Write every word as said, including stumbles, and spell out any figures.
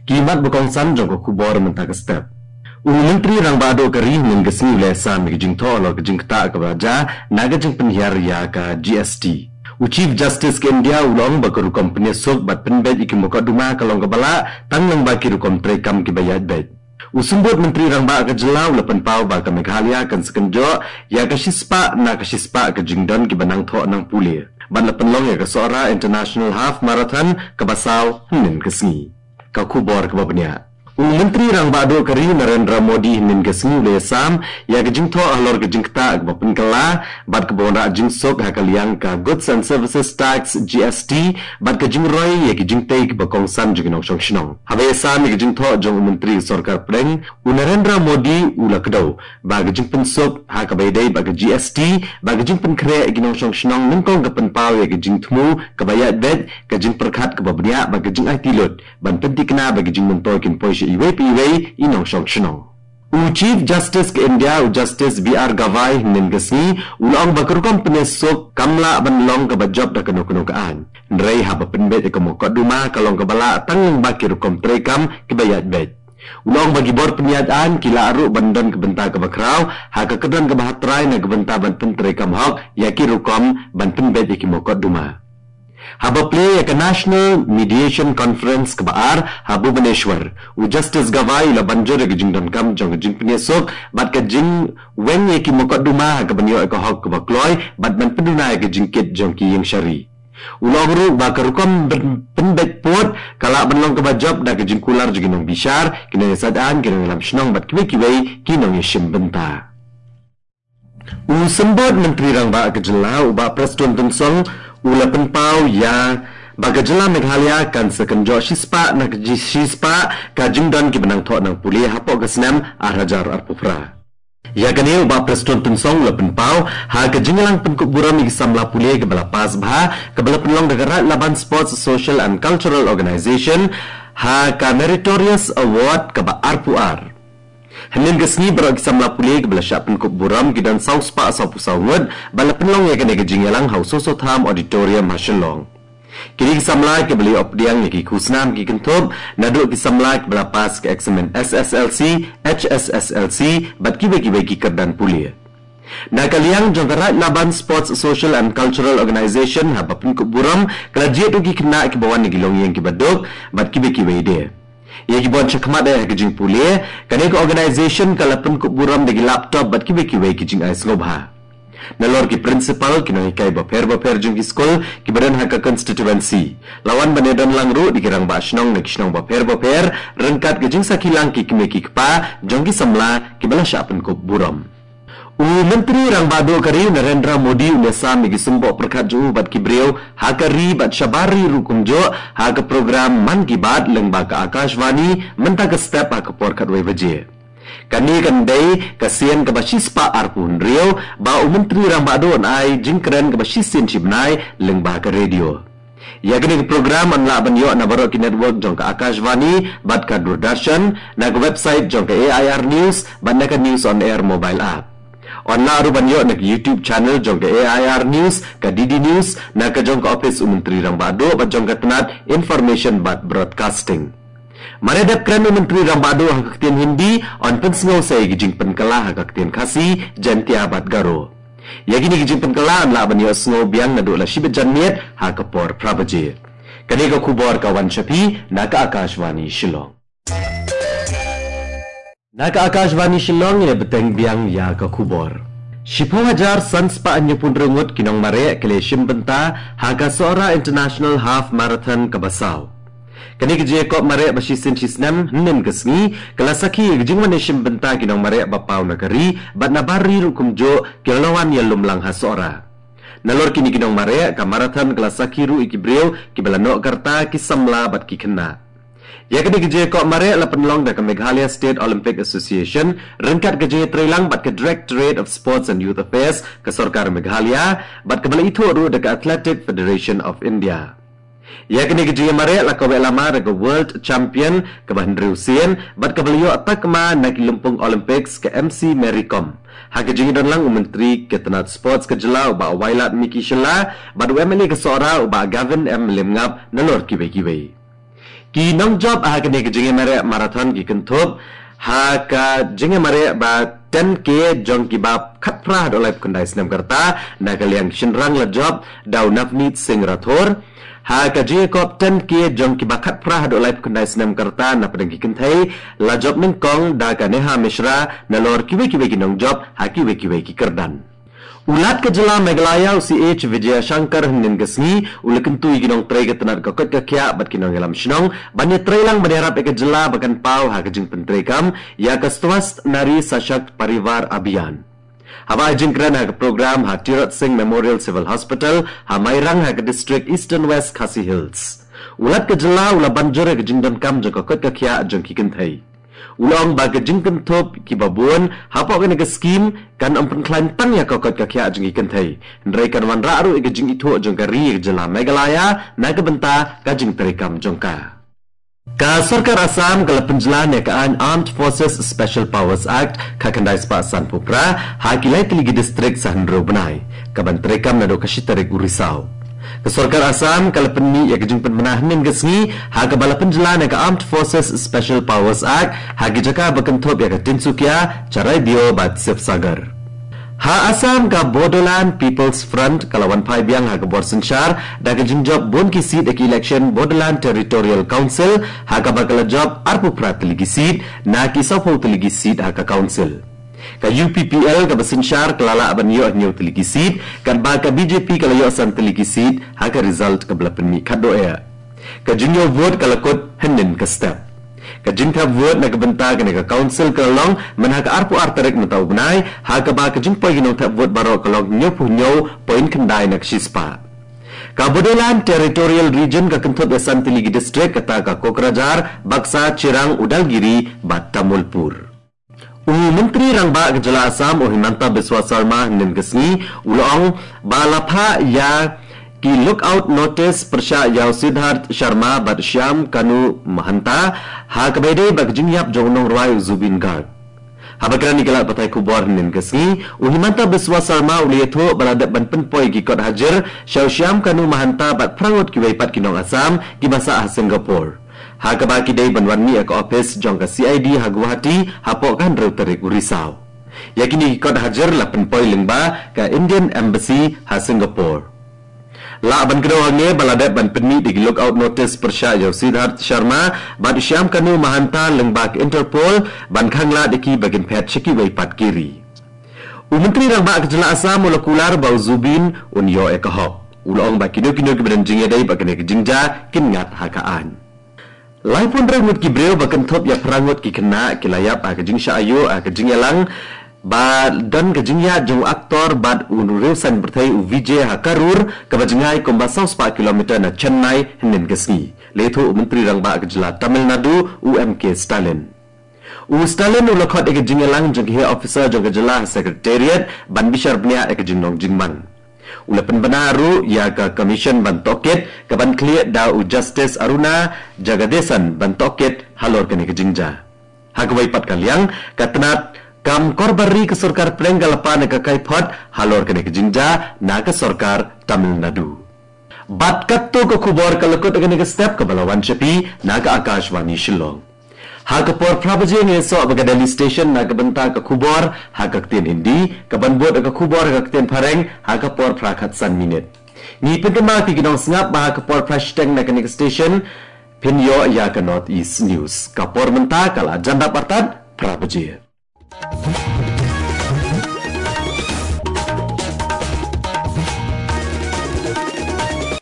Ki mat ba kongsan jong ka khubor mynta ka step. U Myntri Rangbah Duh ka ri hynnin ka sngi u la sam ïa ka jingthoh halor ka jingktah kaba jia na ka jingpynhiar ïa ka G S T. U Chief Justice ka India u la ong ba ka rukom pynïasuk bad pynbeit ïa ki mukotduma ka long kaba lah tang lyngba ki rukom treikam kiba ïaid beit. U Symbud Myntri Rangbah ka jylla u la pynpaw ba ka Meghalaya kan sa kynjoh ïa ka shispah na ka shispah ka jingdon kiba nang thoh nang pule. Bad la pynlong ïa ka Sohra International Half Marathon kaba saw hynnin ka sngi. Ka khubor kaba bniah. U Myntri Rangbah Duh ka ri Narendra Modi hynnin ka sngi u la ïasam ïa ka jingthoh halor ka jingktah kaba pynkylla bad kaba wanrah jingsuk ha ka liang ka Goods and Services Tax, G S T, bad ka jingroi ïa ki jingtei kiba kongsan jong ki nongshong shnong. Haba ïasam ïa ka jingthoh jong u Myntri Sorkar Pdeng, u Narendra Modi u la kdew ba ka jingpynsuk ha kaba ïadei bad ka G S T bad ka jingpynkhreh ïa ki nongshong shnong nyngkong ka pynpaw ïa ka jingthmu kaba ïaid beit, ka jingpyrkhat kaba bniah bad ka jingaiti lut ban pynthikna ba ki jingmyntoi kin poi sha iwei pa iwei i nongshong shnong. U Chief Justice ka India, u Justice B R Gavai, hynnin ka sngi u la ong ba ka rukom pynïasuk kam lah ban long kaba jop da kano kano ka aiñ. Hynrei haba pynbeit ïa ka mukotduma ka long kaba lah tang lyngba ki rukom treikam kiba ïaid beit. U la ong ba ki bor pynïaid aiñ ki lah ruh ban don ka bynta kaba khraw ha ka kyrdan kaba hatrai na ka bynta ban pyntreikam hok ïa ki rukom ban pynbeit ïa ki mukotduma. Haba plie ïa ka National Mediation Conference kaba ar ha Bhubaneswar, u Justice Gavai u la ban jur ïa ka jingdonkam jong ka jingpynïasuk bad ka jingweng ïa ki mukotduma ha kaban ïoh ïa ka hok kaba kloi bad ban pynduna ïa ka jingkit jong ki ïing shari. U la ong ruh ba ka rukom pyn-, pynbeit pud ka lah ban long kaba jop da ka jingkular jong ki nongbishar, ki nongïasaid aiñ, ki nongïalam shnong bad kiwei kiwei ki nongïashim bynta. U Symbud Myntri Rangbah ka jylla u Bah Prestone Tynsong u la pynpaw ïa ba ka jylla Meghalaya kan sa kynjoh shispah na ka ji-, shispah ka jingdon kiba nang thoh nang pule hapoh ka snem ar hajar arphew phra. Ïa kane u Bah Prestone Tynsong u la pynpaw ha ka jingïalang pynkup burom ïa ki samla pule kaba la pass bha kaba la pynlong da ka Raid Laban Sports Social and Cultural Organization ha ka Meritorious Award kaba arphew ar. Hynnin ka sngi baroh ki samla pule kiba la shah pynkup burom ki don saw spah sawphew saw ngut bad la pynlong ïa kane ka jingïalang ha u Soso Tham Auditorium ha Shillong. Kine ki samla kiba la ïoh pdiang ïa ki khusnam ki kynthup naduh ki samla kiba la pass ka eksamin S S L C, H S S L C bad kiwei kiwei ki kyrdan pule. Na ka liang jong ka Raid Laban Sports Social and Cultural Organization haba pynkup burom ka la jied ruh ki khynnah kiba wan na ki longïing kiba duk bad kiwei kiwei de. Ïa kiba wan shakhmat eh ha ka jingpule, kane ka organization ka la pynkup burom da ki laptop bad kiwei kiwei ki jingai sngewbha. Nalor ki principal, ki nonghikai bapher bapher jong ki skul kiba don ha ka constituency, la wan ban ïadon lang ruh da ki rangbah shnong na ki shnong bapher bapher ryngkat ka jingsakhi lang ki kmie ki kpa jong ki samla kiba la shah pynkup burom. U Myntri Rangbah Duh ka ri u Narendra Modi u la sam ïa ki symboh pyrkhat jong u bad ki briew ha ka ri bad shabar ri ruh kumjuh ha ka program Mann Ki Baat lyngba ka Akashvani mynta ka step ha ka por khatwei baje. Kane kan dei ka sien kaba shispah arphew hynriew ba u Myntri Rangbah Duh un ai jingkren kaba shisien shibnai lyngba ka radio. Ïa kane ka program yn lah ban ïoh na baroh ki network jong ka Akashvani bad ka Doordarshan, na ka website jong ka A I R News bad na ka News on Air mobile app. Yn lah ruh ban ïoh na ka YouTube channel jong ka A I R News, ka D D News, na ka jong ka ophis u Myntri Rangbah Duh bad jong ka tnat Information bad Broadcasting. Mar ïa dep kren u Myntri Rangbah Duh ha ka ktien Hindi, yn pynsngew sa ïa ki jingpynkylla ha ka ktien Khasi, Jaintia bad Garo. Ïa kine ki jingpynkylla yn lah ban ïohsngew biang naduh la shibit janmiet ha ka por phra baje. Kane ka khubor ka wan sha phi na ka Akashvani Shillong. Na ka Akashvani Shillong ngin ïa bteng biang ïa ka khubor. Shiphew hajar san spah hynñiewphew hynriew ngut ki nongmareh ki la shim bynta ha ka Sohra International Half Marathon kaba saw. Kane ka jingïakop mareh ba shisien shisnem hynnin ka sngi ka la sakhi ïa ka jingwan ïashim bynta ki nongmareh ba paw na ka ri bad na bar ri ruh kumjuh ki la wan ïalum lang ha Sohra. Nalor kine ki nongmareh, ka marathon ka la sakhi ruh ïa ki briew kiba la noh ka rta, ki samla bad ki khynnah. Ïa kane ka jingïakop mareh la pynlong da ka Meghalaya State Olympic Association ryngkat ka jingïatreilang bad ka Directorate of Sports and Youth Affairs ka Sorkar Meghalaya bad kaba la ithuh ruh da ka Athletic Federation of India. Ïa kane ka jingïamareh la kaweh lama da ka World Champion kaba hynriew sien bad kaba la ïoh takma na ki lympung Olympics, ka M C Mary Kom. Ha ka jingïadon lang u Myntri ka tnat Sports ka jylla u Bah Wailadmiki Shylla bad u M L A ka Sohra u Bah Gavin M Lymngap nalor kiwei kiwei. Ki nongjop ha kane ka jingïamareh marathon ki kynthup ha ka jingïamareh ba ten K jong kiba khatphra haduh laiphew khyndai snem ka rta na ka liang shynrang la jop da u Navneet Singh Rathore. Ha ka jingïakop ten K jong kiba khatphra haduh laiphew khyndai snem ka rta na pdeng ki kynthei la jop nyngkong da ka Neha Mishra nalor kiwei kiwei ki nongjop ha kiwei kiwei ki kyrdan. U Lat ka jylla Meghalaya u C H Vijayashankar hynnin ka sngi u la kyntu ïa ki nongtrei ka tnat ka koit ka khiah bad ki nongïalam shnong ban ïatreilang ban ïarap ïa ka jylla ba kan paw ha ka jingpyntreikam ïa ka Swasth Nari Sashakt Parivar Abhiyan. Haba ai jingkren ha ka program ha Tirot Singh Memorial Civil Hospital ha Mairang ha ka district Eastern West Khasi Hills, u Lat ka jylla u la ban jur ïa ka jingdonkam jong ka koit ka khiah jong ki kynthei. U la ong ba ka jingkynthup kiba bun hapoh kane ka skim kan ym pynkhlaiñ tang ïa ka koit ka khiah jong ki kynthei, hynrei kan wanrah ruh ïa ka jingithuh jong ka ri ïa ka jylla Meghalaya na ka bynta ka jingtreikam jong ka. Ka sorkar Assam ka la pynjlan ïa ka aiñ Armed Forces Special Powers Act khatkhyndai spah sanphew phra ha ki lai tylli ki district sa hynriew bnai, kaban treikam naduh ka shi tarik u Risaw. Ka sorkar Assam ka la pynmih ïa ka jingpynbna hynnin ka sngi ha kaba la pynjlan ïa ka Armed Forces Special Powers Act ha ki jaka ba kynthup ïa ka Tinsukia, Charaideo bad Sibsagar. Ha Assam, ka Bodoland People's Front ka la wan phai biang ha ka bor synshar da ka jingjop bun ki seat ïa ki election Bodoland Territorial Council, ha kaba ka la jop arphew phra tylli ki seat na ki sawphew tylli ki seat ha ka council. Ka U P P L kaba synshar ka la lah ban ïoh hynñiew tylli ki seat, katba ka B J P ka la ïoh san tylli ki seat ha ka result kaba la pynmih khatduh eh. Ka jingïoh vote ka la kut hynnin ka step. Ka jingthep vote na ka bynta kane ka council ka la long man ha ka arphew ar tarik mynta u bnai, ha kaba ka jingpoi ki nongthep vote baroh ka long hynñiewphew hynñiew point khyndai na ka shispah. Ka Bodoland Territorial Region ka kynthup ïa san tylli ki district, kata ka Kokrajhar, Baksa, Chirang, Udalgiri bad Tamulpur. U Myntri Rangbah ka jylla Assam u Himanta Biswa Sarma hynnin ka sngi u la ong ba la phah ïa ki lookout notice pyrshah ïa u Siddharth Sharma bad Shyam Kanu Mahanta ha kaba ïadei bad ka jingïap jong u nongrwai u Zubeen Garg. Haba kren ïa ki lad pathai khubor hynnin ka sngi, u Himanta Biswa Sarma u la ïathuh ba la dep ban pynpoi ki kot hajir sha u Shyam Kanu Mahanta bad phra ngut kiwei pat ki nong Assam kiba sah ha Singapore, ha kaba ki dei ban wan mih ïa ka ophis jong ka C I D ha Guwahati hapoh ka hynriew tarik u Risaw. Ïa kine ki kot hajir la pynpoi lyngba ka Indian Embassy ha Singapore. Lah ban kdew hangne ba la dep ban pynmih da ki lookout notice pyrshah ïa u Siddharth Sharma bad u Shyam Kanu Mahanta lyngba ka Interpol ban khang lad ïa ki ba kin phet sha kiwei pat ki ri. U Myntri Rangbah ka jylla Assam u la kular ba u Zubeen un ïoh ïa ka hok. U la ong ba kino kino kiba don jingïadei bad kane ka jingjia kin ngat ha ka aiñ. Laiphew hynriew ngut ki briew ba kynthup ïa phra ngut ki khynnah ki la ïap ha ka jingshah aïu ha ka jingïalang ba don ka jingïaid jong u actor bad u riewsaiñ pyrthei u Vijay ha Karur, kaba jngai kumba saw spah kilometer na Chennai hynnin ka sngi, la ïathuh u Myntri Rangbah ka jylla Tamil Nadu u M K Stalin. U Stalin u la khot ïa ka jingïalang jong ki heh officer jong ka jylla ha Secretariat ban bishar bniah ïa ka jinglong jingman. U la pynbna ruh ïa ka commission ban tohkit kaban khlieh da u Justice Aruna Jagadeesan ban tohkit halor kane ka jingjia. Ha kawei pat ka liang, ka tnat kam kor bar ri ka sorkar pdeng ka la pan ïa ka kaiphod halor kane ka jingjia na ka sorkar Tamil Nadu. Bad katto ka khubor ka la kut ha kane ka step, kaba la wan sha phi na ka Akashvani Shillong. Ha ka por phra baje ngin ïasoh bad ka Delhi Station na ka bynta ka khubor ha ka ktien Hindi, kaban bud ka khubor ha ka ktien Phareng ha ka por phra khatsan minit. Ngi pynkynmaw ïa phi ki nongsngap ba ha ka por phra shiteng na kane ka station phin ïoh ïa ka North East News. Ka por mynta ka la jan dap artat phra baje.